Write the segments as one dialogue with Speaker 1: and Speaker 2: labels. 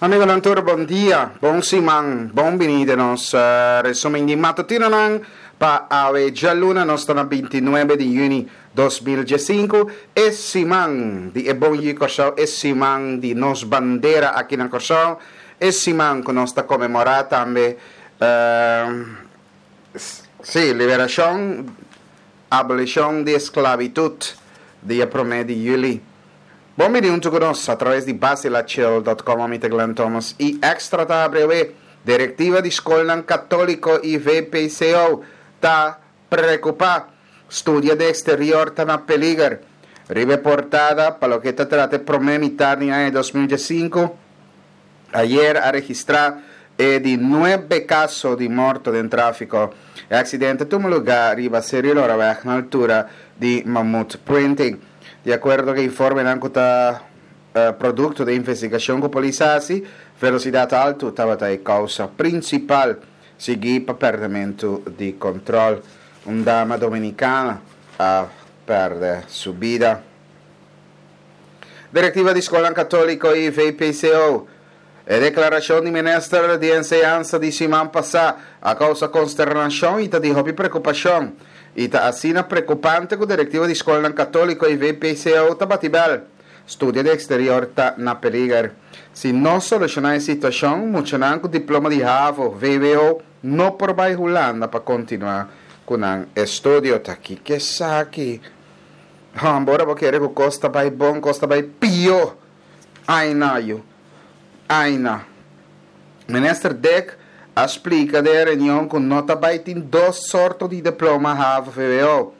Speaker 1: Amigonan tur bon dia, bon siman, bon bini den nos resumen di matutinonan pa awe djaluna nos ta na 29 di yüni 2015, e siman di e bon yu Kòrsou, e siman di nos bandera aki na Kòrsou, e siman ku nos ta konmemorá tambe sí, liberashon, abolishon di esklabitut dia promé di yüli. Bon bini huntu ku nos a traves di basilachil dot com ami ta Glenn Thomas i Extra ta habri awe. Direktiva di skolnan katoliko i VPCO ta preokupá. Studia den eksterior ta na peliger. Riba e portada pa loke ta trata e promé mitar di aña 2015, Ayer a registrá e di nuebe kaso di morto den tráfiko. E aksidente tuma lugá riba Seri Loraweg na altura di Mammoet Printing. Di akuerdo ku e informenan ku ta produkto di e investigashon ku polis a hasi, velosidat altu tabata e kousa prinsipal, siguí pa pèrdèmentu di kòntròl. Un dama dominikana a pèrdè su bida. Direktiva di Skolnan Katóliko i VPCO. E deklarashon di Minister di Enseñansa di siman pasá a kousa konsternashon i ta di hopi preokupashon. I ta asina preokupante ku direktiva di skolnan katóliko i VPCO ta bati bèl. Studia di eksterior ta na peliger. Si no solushoná e situashon, muchanan ku diploma di havo, vwo, no por bai Hulanda pa kontinuá ku nan estudio. Ta kiko esaki? Hòmber, ora bo kere ku kos ta bai bon, kos ta bai pió. Aina yu. Aina. Minister Dick a splika den e reunion ku no ta bai tin dos sorto di diploma havo-vwo.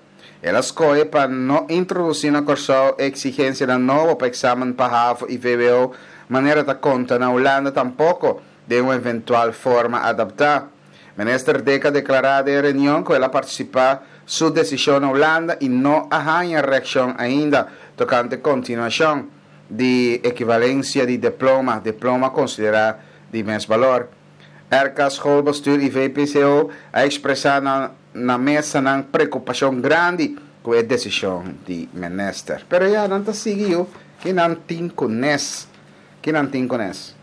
Speaker 1: El a skohe pa no introdusí na Kòrsou e eksigensianan nobo pa eksamen pa havo i vwo manera ta konta na Hulanda tampoko den un eventual forma adaptá. Minister Dick a deklará den e reunion ku el a partisipá su desishon na Hulanda i no a haña reakshon ainda tokante kontinuashon di ekivalensia di diploma, diploma konsiderá di mes balor. RK Schoolbestuur i VPCO a ekspresá na na mesa nan preokupashon grandi ku e desishon di minister. Pero ya nan ta sigui yu ki nan tin ku nes, ki nan tin ku nes.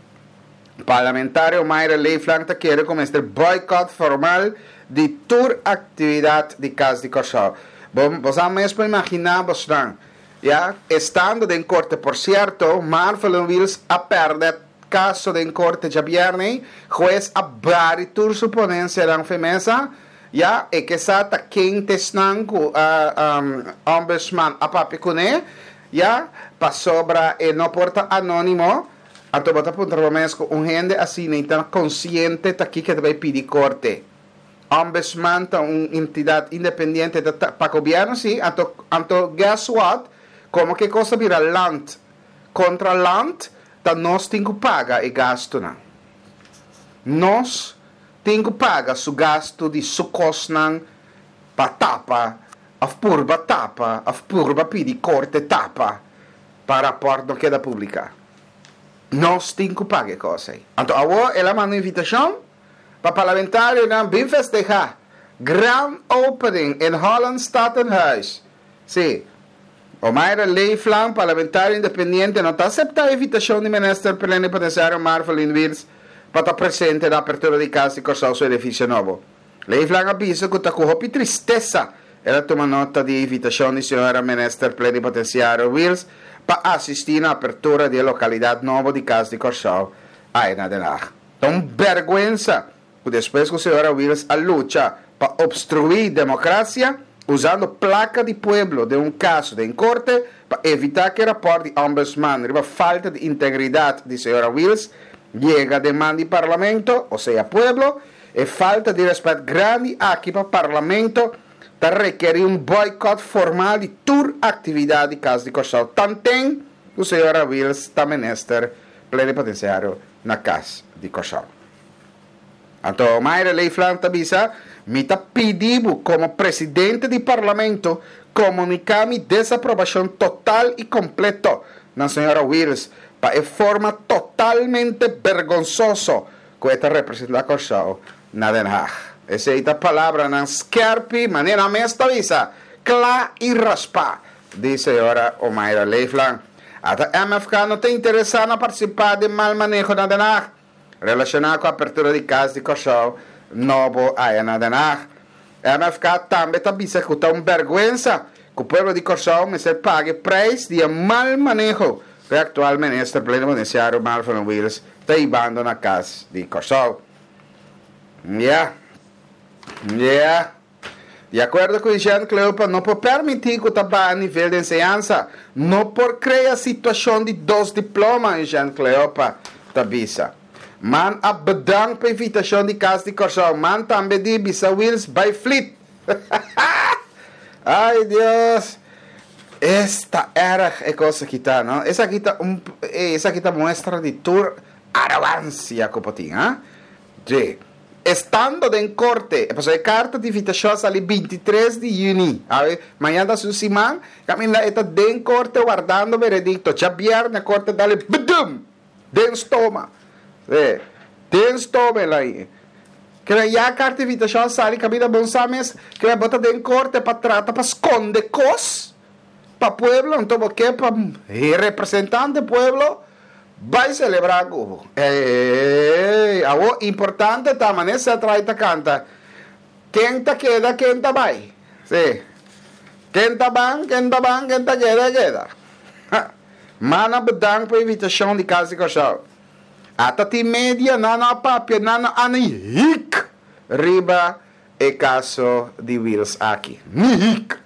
Speaker 1: Parlamentario Mayra Leeflang ta kere ku mester boycott formal di tur aktividat di Kas di Kòrsou. Bo bo sa mes por imaginá bosnan, ya, estando den korte. Por sierto, Marvelyn Wiels a pèrdè kaso den korte djabièrnè, hues a bari tur su ponensianan fe mesa, ya, e ke sa ta ken ta esnan ku Ombudsman a papia kuné, ya, pasobra e no por ta anónimo. Anto bo ta puntra bo mes ku un hende asina i ta konsiente ta kiko e ta bai pidi korte. Ombudsman ta un entidat independiente ta ta pa gobièrnu si, anto anto guess what, komo ke kos ta bira land kontra land ta nos tin ku paga e gastunan. Nos tin ku paga su gastu di su kosnan pa tapa òf purba tapa òf purba pidi korte tapa. Pa rapòrt no keda publiká. Nos tin ku paga e kos ei. Anto awor el a manda un invitashon pa parlamentarionan bin festehá Grand Opening in Holland Statenhuis. Sí, Omayra Leeflang, parlamentario independiente, no ta aseptá e invitashon di Minister Plenipotenciario Marvelyne Wiels pa ta presente na apertura di Kas di Kòrsou su edifisio nobo. Leeflang a bisa ku ta ku hopi tristesa el a tuma nota di e invitashon di señora Minister Plenipotenciario Wiels pa asistí na apertura di e lokalidat nobo di Kas di Kòrsou ai na Den Haag. Ta un bèrgwensa ku despues ku señora Wiels a lucha pa opstruí demokrasia usando plaka di pueblo den un kaso den korte pa evitá ku e rapòrt di Ombudsman riba falta di integridat di señora Wiels yega den man di Parlamento, osea pueblo, E falta di rèspèt grandi aki pa Parlamento ta rekerí un bòikòt formal di tur aktividat di Kas di Kòrsou tanten ku señora Wiels ta minister plenipotensiario na Kas di Kòrsou. Anto Mayra Leeflang ta bisa, Mi ta pidi bo komo presidente di Parlamento komuniká mi desaprobashon total i kompleto na señora Wiels pa e forma totalmente bergonsoso ku e ta representá Kòrsou na Den Haag. Esei ta palabranan skèrpi, manera nan mes ta bisa, kla i raspá, di señora Omayra Leeflang. Ata MFK no ta interesá na partisipá den mal maneho na Den Haag, relashoná ku apertura di Kas di Kòrsou nobo aya na Den Haag. MFK tambe ta bisa ku ta un bèrgwensa ku pueblo di Kòrsou mester paga e preis di e mal maneho ku e aktual minister plenipotensiario Marvin Wiels ta hibando na Kas di Kòrsou. Ya. Ya. Di akuerdo ku Jean Cleopa no por permití ku ta baha nivel di enseñansa. No por krea situashon di dos diploma, Jean Cleopa ta bisa. Man a bedank pa invitashon di Kas di Kòrsou. Man tambe di bisa Wiels bai flit. Ay Dios! Esta erg e kos aki ta, no? Esaki ta un esaki ta muestra di tur arogansia ku por tin, ha? Dje. Estando den korte, e pasobra e karta di invitashon a sali bintitres di yüni, awe, mañana ta su siman, kaminda e ta den korte wardando veredikto. Djabièrnè korte dal e bdum! Den stoma. Sí, den stoma el a i. Keda ya karta di invitashon a sali kaminda bon sa mes, keda bo ta den korte pa trata pa skonde kos pa pueblo, anto bo ke pa representante pueblo Bai celebra cu bo. Ey, awo importante ta mane Seth Wright ta canta, Ken ta keda, ken ta bai. Si. Ken ta ban, ken ta ban, ken ta keda, keda. Ha. Mana bedank pa invitacion di Cas di Corsou. Ata tin media nan no a papia, nan no a ni hik riba e caso di Wiels aki. Ni hik!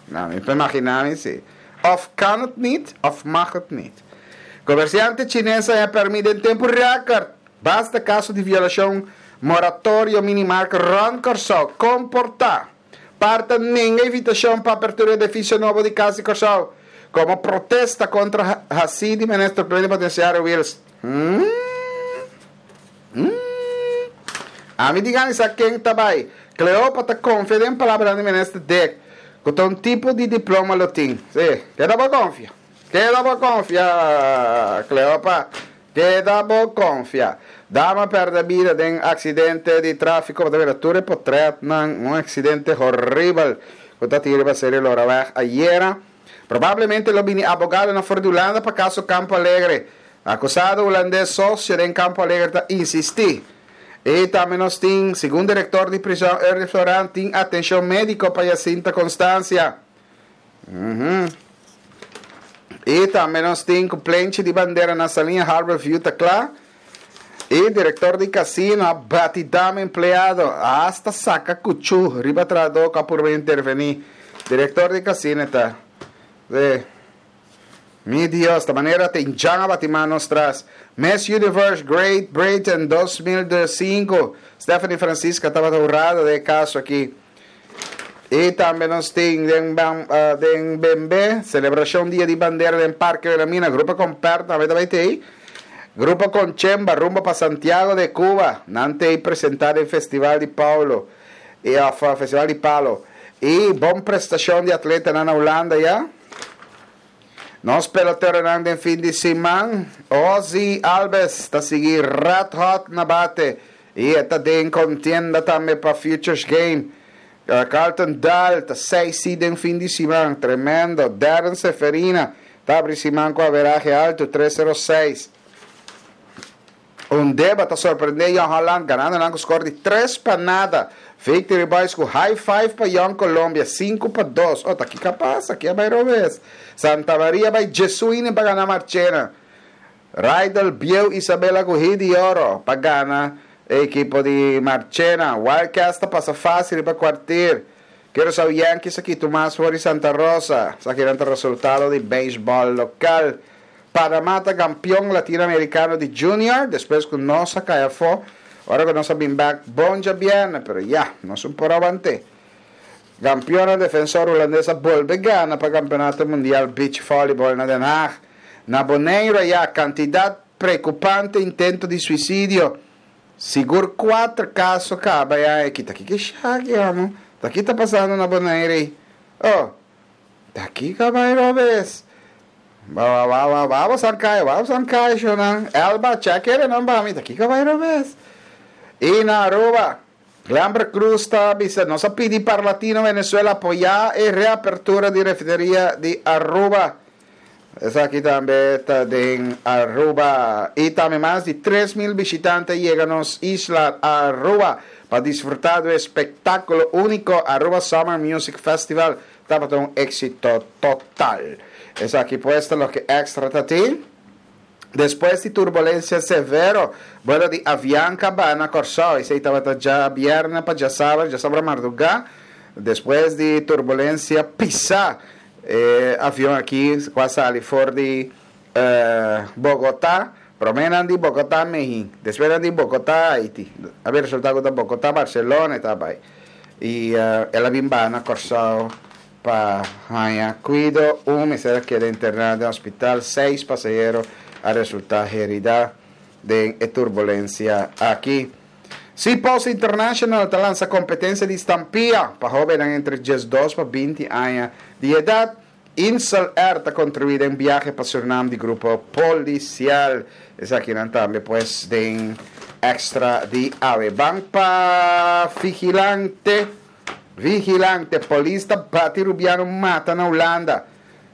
Speaker 1: Nou, mi por imagina mi si. Of kan het niet, of mag het niet. Comerciante Chines a haña permit den tempu record. Basta caso di violacion moratorio minimark rond Corsou. Comporta. Par ta nenga invitacion pa apertura edificio nobo di Cas di Corsou. Como protesta contra haci di Minister Plenipotenciario Wiels. Hmm. Hmm. Ami di gana sa ken ta bai. Cleopa ta confia den palabranan di Minister Dick cu ta un tipo di diploma lo tin. Si, keda bo confia. Keda bo confia, Cleopa. Keda bo confia. Dama perde bida den accidente di trafico. Bo ta mira tur e potretnan. Un accidente horibel cu ta tin riba Serie Loraweg ayera. Probablemente lo bini abogadonan for di Hulanda pa caso Campo Alegre. Acusado Hulandes socio den Campo Alegre ta insisti. Y tambe nos tin, segun director di prison Ernie Floran, tin atencion medico pa Jacinta Constancia. Y tambe nos tin cu plenchi di bandera na Saliña Harbor View ta cla. Y director di casino a bati dama empleado, a hasta saca cuchu riba trahador cu a purba interveni. Director di casino ta. Sí. Mi Dios, ta manera te injan a bati man nos tras. Miss Universe Great Britain 2005, Stephanie Francisca tabata hurado den e caso aki. Y tambe nos tin den den Bembe, celebracion Dia di Bandera den Parke Wilhelmina, Grupo Comper tambe ta bay tey. Grupo Conchemba rumbo pa Santiago de Cuba, nan tey presenta den Festival di Paulo y of Festival di Palo. Y bon prestacion di atletanan na Hulanda ya. Nos peloteronan den fin di siman, Ozzie Albies ta sigui red hot na bate y e ta den contienda tambe pa Futures Game. Carlton Dahl ta seis si den fin di siman, tremendo. Darren Seferina ta abri siman cu averahe alto, tres sero seis. Undeba ta sorprende Jong Holland ganando nan cu score di tres pa nada. Victory Boys cu high five pa Jong Colombia 5-2. Oh, ta kico a pasa? Ki a bay robes? Santa Maria bay Jesuini pa gana Marchena. Rydel Bieu Isabella cu hit di oro pa gana e ekipo di Marchena. Wildcats ta pasa facil riba Kwartier. Curaçao Yankees a kita un mas for di Santa Rosa. Esakinan ta resultado di beisbol local. Panama ta kampion Latino Americano di Junior despues ku nos a kai afó ora ku nos a bin bek bon djabièrnè pero ya nos un por awant'é. Kampionnan defensor hulandes a bolbe gana pa Kampeonato Mundial Beach Volleyball na Den Haag. Na Boneiru ayá kantidat preokupante intento di suisidio. Sigur kuater kaso kaba ya aki. Ta kiko e shaki amo? Ta ki ta pasando na Boneiru ei? Oh! Ta kiko a bai robes? Ba ba ba ba bo san kai, ba bo san kai shonan. Elba, check ere nan ba mi. Ta kiko a bai robes? I na Aruba, Glenbert Croes ta bisa, nos a pidi Parlatino Venezuela apoya e reapertura di refineria di Aruba. Esaki tambe ta den Aruba. Y tambe mas di 3000 bishitante a yega nos isla Aruba pa disfruta di e espectaculo unico Aruba Summer Music Festival tabata un exito total. Esaki pues ta loke Extra ta tin. Despues di turbulencia severo, vuelo di Avianca ba na Corsou. Esey tabata djabierne pa djasabra, djasabra marduga. Despues di turbulencia pisa, e avion aki cu a sali for di Bogota, prome nan di Bogota Mehin, despues nan di Bogota Haiti. A bin resulta cu ta Bogota Barcelona e ta bay. Y el a bin baha na Corsou Pa haña kuido, un mester a keda interná den hospital, seis pasahero a resultá heridá den e turbulensia aki. Seapost International ta lansa kompetensia di stampia pa hóbennan entre 12 pa 20 aña di edat. Insel Air ta kontribuí den biahe pa Surinam di grupo polisial. Esakinan tambe pues den extra di awe. Ban pa Vigilante. Vigilante, Polis ta bati Rubiano mata na Hulanda.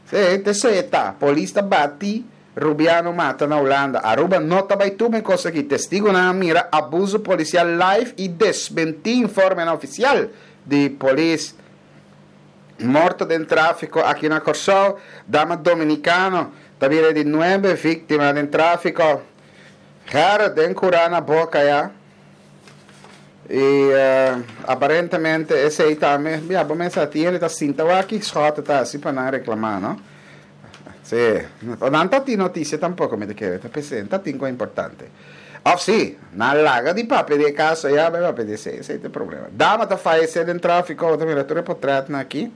Speaker 1: Sí, te seta. Polis ta bati Rubiano mata na Hulanda. Aruba no ta bai tuma e kos aki. Testigonan a mira abuso polisial live i desmentí informenan ofisial di polis. Morto den tráfiko aki na Kòrsou. Dama dominikano ta bira di nuebe víktima den tráfiko. Gerrit den kurá na boka ya. Y aparentemente esey tambe, ya bo mester a tin hende ta sinta wak ki Schotte ta haci pa nan reclama, no? Si, nan ta tin noticia tampoco mi ta kere, ta p'esey, ta tin con importante. Of si, nan laga di papia di e caso ya bai papia di esey, esey ta e problema. Dama ta fayece den trafico, bo ta mira tur e potretnan aki.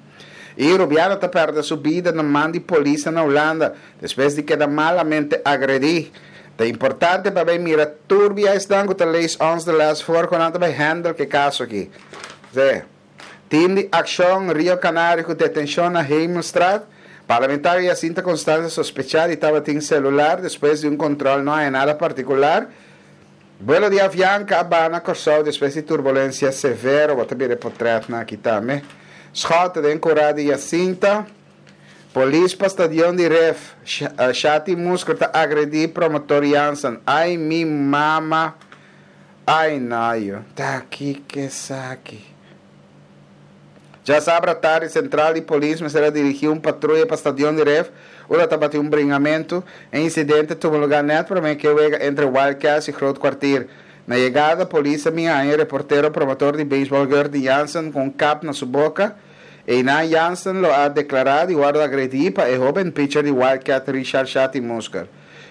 Speaker 1: Y Rubiano ta perde su bida na man di polisnan na Hulanda. Despues di keda malamente agredí, ta importante pa bay mira tur bia esnan ku ta lees ons de les voor ku nan ta bay handle ku e kaso aki. Sí. Team di Akshon Rio Canario ku detenshon na Hemelstraat, Parlamentario Jacinta Constancia sospechá di tabatin selular despues di un kontrol no haña nada partikular. Buelo di Avianca a baha na Kòrsou despues di turbulensia severo, bo ta bira e potrètnan aki tambe. Schotte den kurá di Jacinta. Polis pa stadion di Ref, Shati Musker ta agredi promotor Jansen. Ay mi mama, ay nayo, ta kiko esaki? Djasabra tardi sentral di polis mester a dirigi un patruya pa stadion di Ref, unda tabatin un bringamentu. E insidente tuma lugar net prome ke wega entre Wild Cats y Groot Kwartier. Na yegada polis a bin haña e reportero promotor di beisbol Gertie Jansen ku un kap na su boka. Einan Jansen lo a deklará di wòrdu agredí pa e hóben pitcher di Wildcat Richard Shati Musker.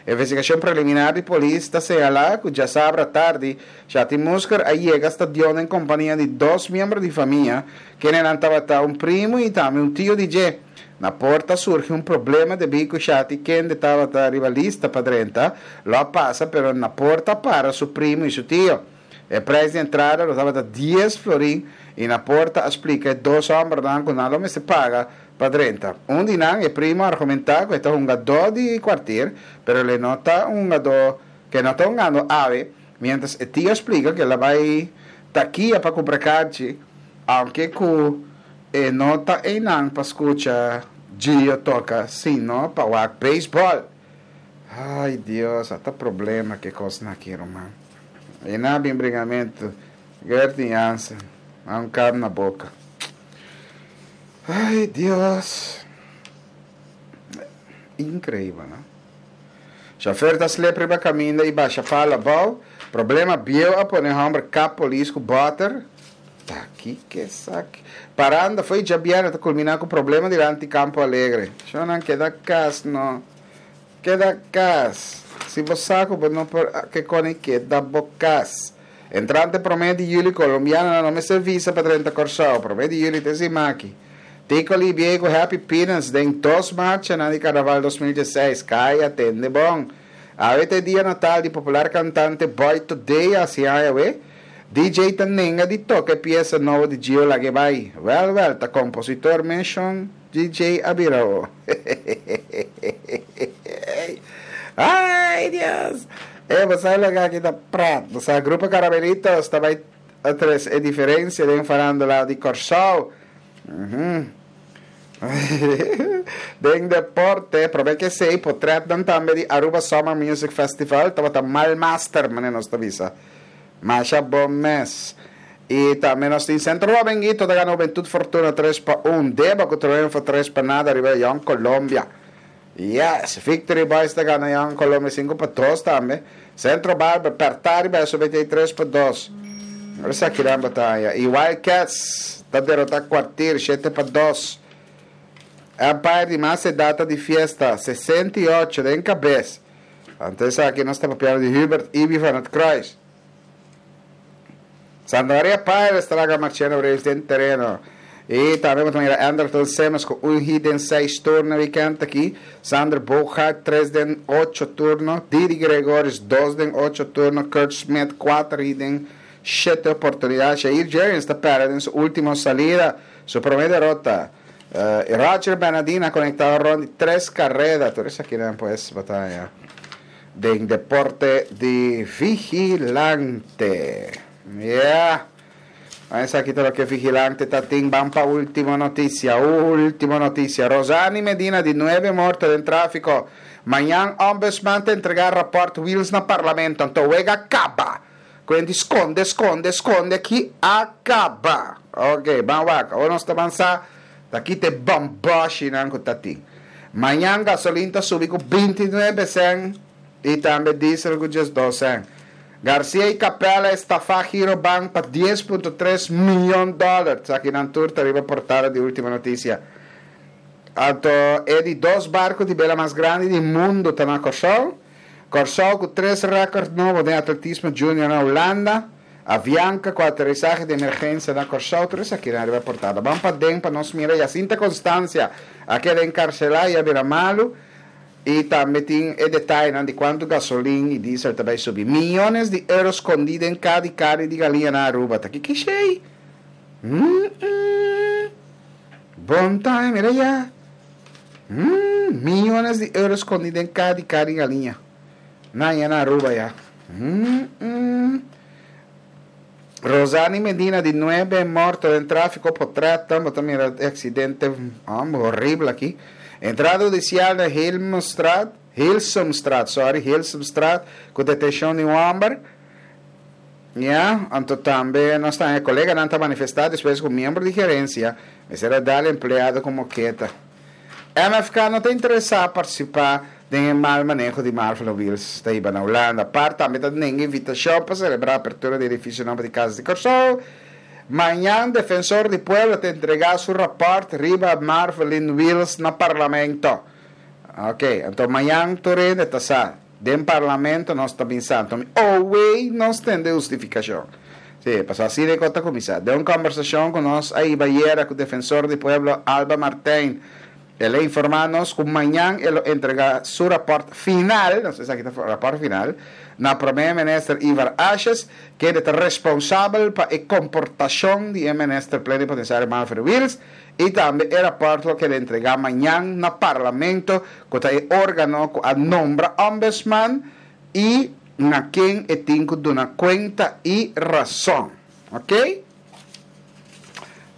Speaker 1: Investigashon preliminar di polis ta señalá ku djasabra tardi Shati Musker a yega stadion den kompania di dos miembro di famia, kendenan tabata un primu i tambe un tio di dje. Na porta a surgi un problema debí ku Shati kende tabata riba lista pa drenta lo a pasa pero na porta a para su primu i su tio. E prijs di entrada lo tabata dies florin y na porta a splica e dos hombernan cu nan lo mester paga pa drenta. Un di nan, e primo, a argumenta cu e ta hungadó di kwartier, pero el e no ta un hungadó cu e no ta hungando awe, mientras e tio a splica cu el a bay takia pa cumpra karchi, aunke cu e no ta eynan pa scucha Gio toca, sino pa wak baseball. Ay Dios, ata problema cu e cosnan aki, ruman. E na bin bringamentu. Gertie Jansen, a un kap na boka. Ay Dios. Increíble, no? Chauffeur ta slip riba caminda y basha palo abao. Problema bieu a pone homber kap polis cu boter. Ta kiko esaki? Paranda foi djabièrnè ta culmina cu problema dilanti Campo Alegre. Shownan keda cas no. Keda kas. Si bo sa ku bo no por ke koni keda bo kas. Entrante promé di yüli kolombianonan no mester visa pa drenta Kòrsou. Promé di yüli te simaki. Tico Libié ku Happy Peanuts den dos marchanan di Karnaval 2016. Kai atende bon. Awe ta e dia natal di popular kantante Boy Today hasi aña awe. DJ ta nenga di toka e piesa nobo di Gio Lag'e Bai. Wèl wèl ta kompositor menshon. DJ a bira o. Ay Dios! E bo sa loke aki ta pret. Bo sa Grupo Caramelitos ta bai a trese e diferencia den farándula di Kòrsou. Den deporte, prome ke esei, potretnan tambe di Aruba Summer Music Festival tabata mal master, manera nos ta bisa. Masha bon mes. I tambe nos tin Centro Dominguito ta gana Hubentud Fortuna tres pa un, Deba ku triunfo tres pa nada riba Jong Colombia. Yes! Victory Boys ta gana Jong Colombia sinku pa dos tambe. Centro Barber pèrtá riba SOBT tres pa dos. Esaki nan bataya. I Wildcats ta derotá Kwartier shete pa dos. Empire di mas edat ta di fiesta, 68 den kabes. Anto esaki nos ta papiando di Hubert Ibi van het Kruis. Santa Maria Pirates ta laga Marchena Braves den tereno. I tambe bo ta mira Anderton Simmons ku un hit den seis turno e weekend aki. Sander Bogaert tres den ocho turno. Didi Gregorius dos den ocho turno. Kurt Smith kuater hit den shete oportunidat. Jair Jurrjens ta pèrdè den su ultimo salida, su promé derota. Roger Bernadina a konektá rònt di tres kareda. Tur esakinan pues bo ta haña den deporte di Vigilante. Yeah! Esaki ta loke Vigilante ta tin. Ban pa ultimo noticia. Ultimo noticia. Rosani Medina di nuebe morto den trafico. Mañan Ombudsman ta entrega rapport Wiels na Parlamento. Anto wega caba. Cuenti sconde, sconde, sconde aki a caba. Ok, ban wak. Awor nos ta ban sa ta kita e bamboshinan cu ta tin. Mañan gasolin ta subi cu 29 cent y tambe diesel cu 12 cent. Garcia y Capella estafa Girobank pa dies punto tres miyon dollar. Esakinan tur ta riba portada di Ultima Noticia. Anto e di dos barco di bela mas grandi di mundo ta na Kòrsou. Kòrsou ku tres rèkòrt nobo den atletismo junior na Hulanda. Avianca ku aterisahe di emergensia na Kòrsou. Tur esakinan riba portada. Ban paden pa nos mira Jacinta Constancia a keda enkarselá y a bira malu. I tambe tin e detayenan di kuantu gasolin i diesel ta bai subi. Miyones di euro skondí den ka di karni di galiña na Aruba. Ta kiko esei? Mm-mm. Bon time, mira ya. Mm, miyones di euro skondí den ka di karni di galiña. Na ya na Aruba ya. Mm-mm. Rosani Medina di nuebe morto den tráfiko potret bo ta mira e aksidente horibel aki. Entrada hudisial na Hilmstraat, Hilsumstraat, sorry, Hilsumstraat ku detenshon di un hòmber. Ya, anto tambe nos ta haña koleganan ta manifestá despues ku miembro di gerensia mester a dal empleado ku moketa. MFK no ta interesá partisipá den e mal maneho di Marvelo Wiels ta hiba na Hulanda. Par tambe ta nenga invitashon pa selebrá apertura di edifisio nobo di Kas di Kòrsou. Mañan Defensor di Pueblo ta entregá su rapòrt riba Marvelin Wiels na Parlamento. Ok, anto mañan tur hende ta sa. Den Parlamento nos ta bin sa. Anto mi owei nos tende hustifikashon. Sí, pasobra asina e kos ta kuminsá. Den un kòmbersashon ku nos a hiba ayera ku Defensor di Pueblo Alba Martijn, el a informá nos ku mañan e lo entregá su rapòrt final, nos esaki ta rapòrt final, na Promé Minister Ivar Asjes, kende ta responsabel pa e komportashon di e Minister Plenipotensiario Manfred Wiels, i tambe e rapòrt lo keda entregá mañan na Parlamento, ku ta e órgano ku a nombra Ombudsman i na ken e tin ku duna kuenta i rason. Ok?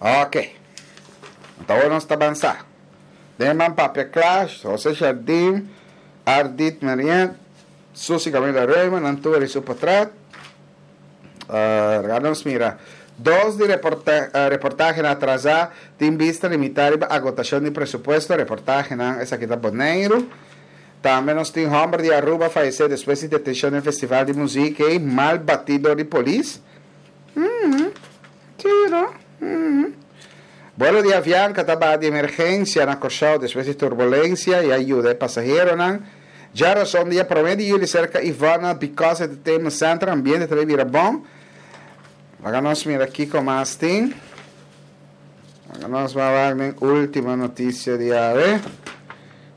Speaker 1: Ok. Anto awor nos ta bansá. Den man papia kla, José Jardim, Ardit Merien, Susi Camila Reumer, nan tur e su potret. Uh, nos mira. Dos di reporta, uh, reportahenan atrasá tin bista limitá riba agotashon di presupuesto. Reportahenan esaki ta Boneiru. Tambe nos tin homber di Aruba fayece despues di detencion den festival di muziek ey mal bati dor di polis. Mm, si no? Mm. Vuelo di Avianca ta baha di emergencia na Corsou despues di turbulencia y a yuda e pasaheronan. Djarazon dia prome di juli cerca Ivona Because Entertainment Center ambiente ta bay bira bon. Laga nos mira kico mas tin. Laga nos bay wak den ultimo noticia di awe.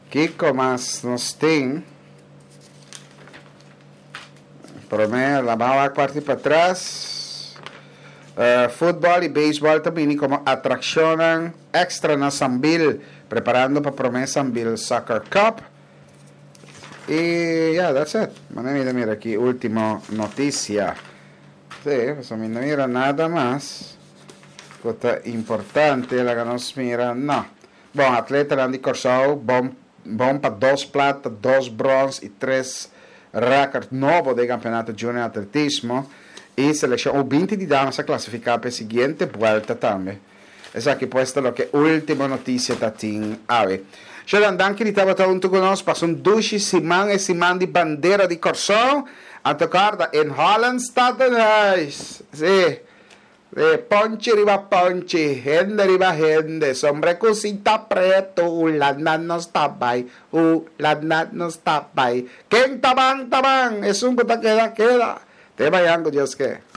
Speaker 1: Kiko mas nos tin? Prome, la ban wak parti patras. Futbol y beisbol ta bini como atraccionnan extra na Sambil, preparando pa prome Sambil Soccer Cup. Y yeah, that's it. Mane mi ta mira aki ultimo noticia. Sí, pasobra mi no mira nada mas cu ta importante. Laga nos mira, no. Bon, atletanan di Kòrsou bon bon pa dos plata, dos bròns i tres rèkòrt nobo den Kampeonato Junior Atletismo i selekshon U 20 di damas a klasifiká pa e siguiente buèlta tambe. Esaki pues ta loke Ultimo Noticia ta tin awe. Sheldon, danki di tabata huntu ku nos. Pasa un dushi siman, e siman di bandera di Kòrsou. Anto kòrda, in Holland staat een huis. Sí. Sí, ponchi riba ponchi, hende riba hende, sombre ku sinta pretu, Hulanda nos ta bai, Hulanda nos ta bai. Ken ta ban, ta ban, esun ku ta keda, keda. Te mañan ku Dios ke.